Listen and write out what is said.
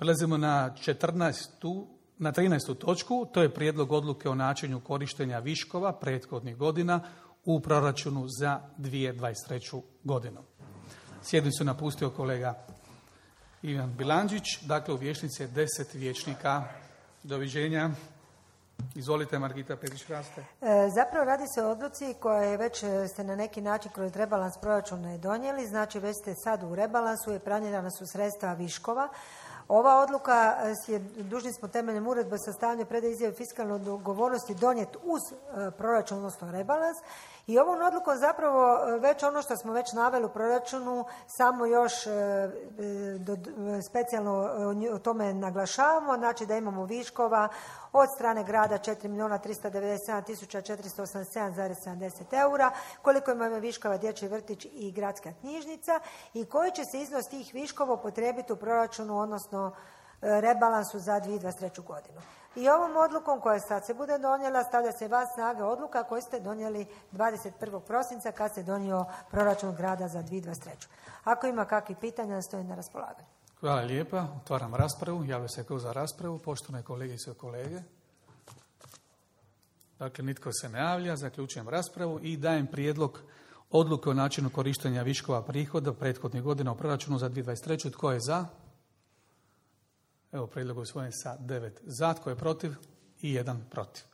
Prelazimo na 13. točku, to je prijedlog odluke o načinu korištenja viškova prethodnih godina u proračunu za 2023. godinu. Sjednicu napustio kolega Ivan Bilandžić, dakle u vijećnici je 10 vijećnika. Doviđenja. Izvolite, Margita Perić-Raste. Zapravo radi se o odluci koje već ste na neki način kroz rebalans proračuna donijeli, znači već ste sad u rebalansu i planirana su sredstva viškova. Ova odluka je, dužni smo temeljem uredbe o sastavljanju predaje izjave fiskalne odgovornosti donijeti uz proračun, odnosno rebalans. I ovom odlukom zapravo već ono što smo već naveli u proračunu, samo još specijalno o tome naglašavamo, znači da imamo viškova od strane grada 4.397.487,70 eura, koliko imamo viškova dječji vrtić i gradska knjižnica i koji će se iznos tih viškova upotrijebiti u proračunu, odnosno rebalansu za 2023. godinu. I ovom odlukom koja sad se bude donijela stavlja se van snage odluka koju ste donijeli 21. prosinca kad se donio proračun grada za 2023. Ako ima kakvih pitanja, stojim na raspolaganju. Hvala lijepa. Otvaram raspravu. Javlja se ko za raspravu. Poštovane kolegice i kolege. Dakle, nitko se ne javlja. Zaključujem raspravu i dajem prijedlog odluke o načinu korištenja viškova prihoda prethodnih godina u proračunu za 2023. Tko je za? Evo, prijedlog je usvojen sa 9 za, tko je protiv i 1 protiv.